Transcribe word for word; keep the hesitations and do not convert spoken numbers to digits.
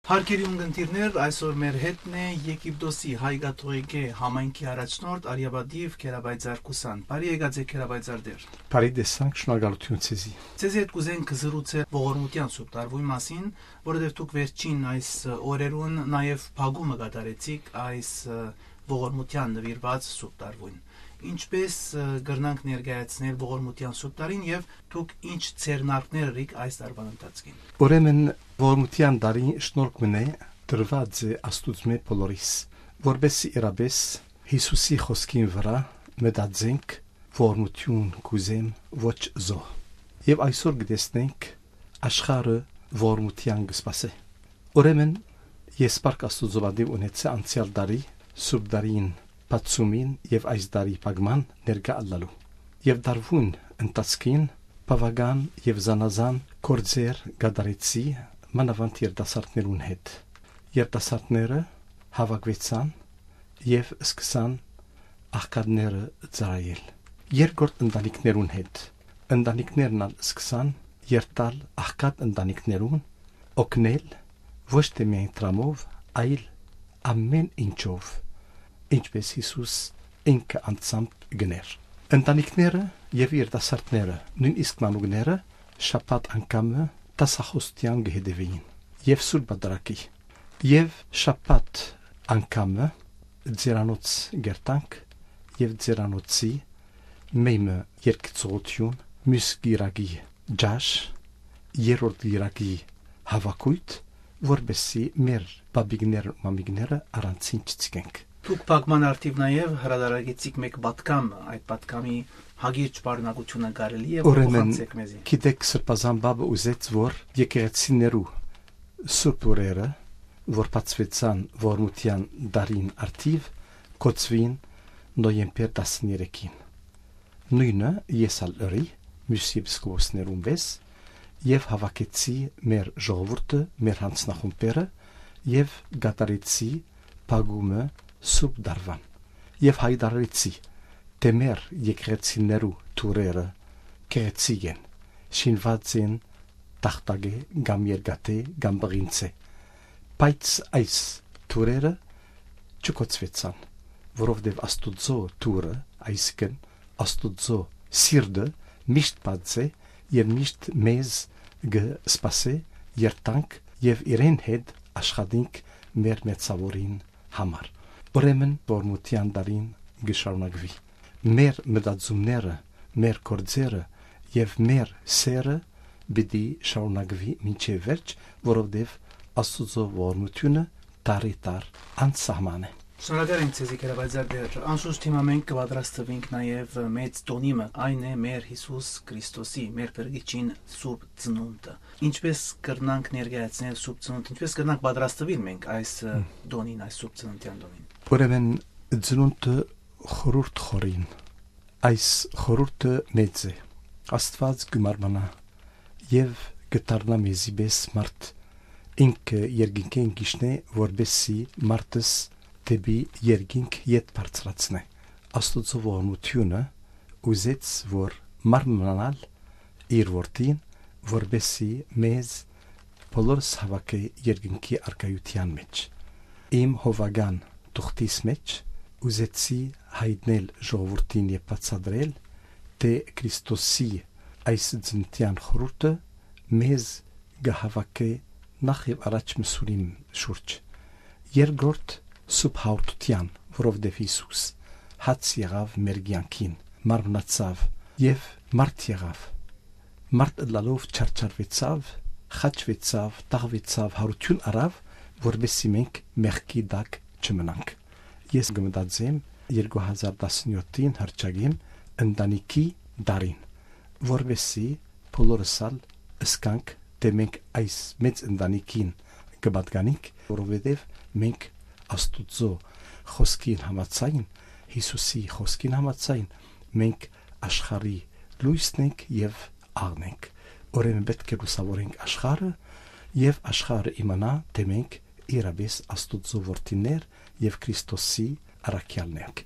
Հարգելի ունգընտիրներ, այսօր մեր հետն է Եգիպտոսի հայ կաթողիկէ համայնքի առաջնորդ արիապատիվ Գերապայծառ Կուսան։ Բարի եկած եք, Գերապայծառ Տեր։ Բարի տեսանք, շնորհակալություն ձեզի։ Ձեզի հետ կուզենք զրուցել ողորմութեան սուրբ տարուին մասին, որովհետև դուք վերջին այս օրերուն նաև փակումը կատարեցիք այս ողորմութեան նուիրուած սուրբ տարուին։ Ինչպէս կրնանք ներկայացնել ողորմութեան սուրբ տարին եւ դուք ինչ ձեռնարկներ ըրիք այս տարուան ընթացքին։ Ուրեմն, ողորմութեան տարին շնորհք մնե տրուած է Աստուծմէ բոլորիս, որպէս իրապէս Յիսուսի խօսքին վրայ մտածենք, ողորմութիւն կ'ուզեմ, ոչ զոհ։ Եւ այսօր կը տեսնենք, աշխարհը ողորմութեան կը սպասէ։ Ուրեմն, ես Փառք Աստուծոյ պատիւ ունեցայ անցեալ տարի, Սուրբ Տարին բացումին եւ այս տարի փակման ներկայ ըլլալու։ Եւ տարուին ընթացքին բաւական եւ զանազան գործեր կատարեցի, մանաւանդ երիտասարդներուն հետ։ Երիտասարդները հաւաքուեցան եւ սկսան աղքատները ծառայել։ Երկրորդ ընտանիքներուն հետ։ Ընտանիքներն ալ սկսան երթալ աղքատ ընտանիքներուն, օգնել ոչ թէ միայն դրամով, այլ ամէն ինչով, ինչպէս Յիսուս ինքը անձամբ գներ։ Ընտանիքները եւ երիտասարդները, նոյնիսկ մանուկները շաբաթ անգամը դասախօսութեան կը հետեւէին եւ Սուրբ Պատրակի։ Եւ շաբաթ անգամը ձերանոց կերտանք եւ ձերանոցի մէյմը երկծողութիւն, մյուս կիրակի ճաշ, երրորդ կիրակի հաւաքոյթ, որպէսզի մեր պապիկներ ու մամիկները առանցին չցկենք։ Դուք փակման արդիւ նաեւ հրադարագեցիք մէկ պատգամ, այդ պատգամի հագիրճ պարունակութիւնը կարելի է որ Ուրեմն, փոխանցեք մեզի։ Գիտեք, Սրբազան Պապը ուզեց, որ եկեղեցիներու սուրբ օրերը, որ բացուեցան ողորմութեան տարին արդիւ, կոչուին նոյեմբեր տասներեքին։ Նոյնը ես ալ ըրի, մյուս եպիսկոպոսներուն պէս, եւ հաւաքեցի մեր ժողովուրդը, մեր յանձնախումբերը, եւ կատարեցի փակումը Սուրբ Տարուան, եւ յայտարարեցի, թէ մեր եկեղեցիներու թուրերը գեղեցիկ են, շինուած են տախտակէ կամ երկաթէ կամ պղինձէ, բայց այս թուրերը չկոչուեցան, որովհետեւ Աստուծոյ թուրը, այսինքն Աստուծոյ սիրտը միշտ բաց է եւ միշտ մեզ կը սպասէ երթանք եւ իրեն հետ աշխատենք մեր մեծաւորին համար։ Ուրեմն, ողորմութեան տարին կը շարունակուի։ Մեր մտածումները, մեր գործերը եւ մեր սերը պիտի շարունակուի մինչեւ վերջ, որովհետեւ Աստուծոյ ողորմութիւնը տարի տար անսահման է։ Շնորհակալ ենք ձեզի, Գերապայծառ Տեր։ Անշուշտ հիմա մենք կը պատրաստվենք նաև մեծ տոնի մը, այն է մեր Յիսուս Քրիստոսի, մեր Փրկիչին Սուրբ Ծնունդը։ Ինչպէս կրնանք ներկայացնել Սուրբ Ծնունդ, ինչպէս կրնանք պատրաստվել մենք այս, ը, Հմ։ տոնին, այս Սուրբ Ծննդեան տոնին։ Ուրեմն, ծնունդը խորհուրդ խորին։ Այս խորհուրդը մեծ է։ Աստուած կը մարմնանայ եւ կը դառնայ մեզի պէս մարդ։ Ինքը երկինքէն կ'իջնէ, որպէսզի մարդս դէպի երկինք ետ բարձրացնէ։ Աստուծոյ ողորմութիւնը ուզեց, որ մարմնանայ իր որդին, որպէսզի մեզ բոլորս հաւաքէ երկնքի առկայութեան մէջ։ Իմ հովական թուղթիս մէջ ուզեցի յայտնել ժողովուրդին եւ բացատրել, թէ Քրիստոսի այս ծննդեան խորհուրդը մեզ կը հաւաքէ նախ եւ առաջ մսուրին շուրջ։ Երկրորդ, Սուրբ Հաղորդութեան, որովհետեւ Յիսուս հաց եղաւ մեր կեանքին, մարմնացաւ եւ մարդ եղաւ։ Մարդ ըլլալով չարչարուեցաւ, խաչուեցաւ, տաղուեցաւ, յարութիւն առաւ, որպէսզի մենք մեղքի տակ չմնանք։ Ես կը մտածեմ երկու հազար տասնյոթին հռչակեմ ընտանիքի տարին, որպէսզի բոլորս ալ զգանք, թէ մենք այս մեծ ընտանիքին կը պատկանենք, որովհետեւ մենք Աստուծոյ խօսքին համաձայն, Յիսուսի խօսքին համաձայն, մենք աշխարհի լոյսն ենք եւ աղն ենք։ Ուրեմն պէտք է լուսաւորենք աշխարհը եւ աշխարհը իմանայ, թէ մենք իրապէս Աստուծոյ որդիներ եւ Քրիստոսի առաքեալներ ենք։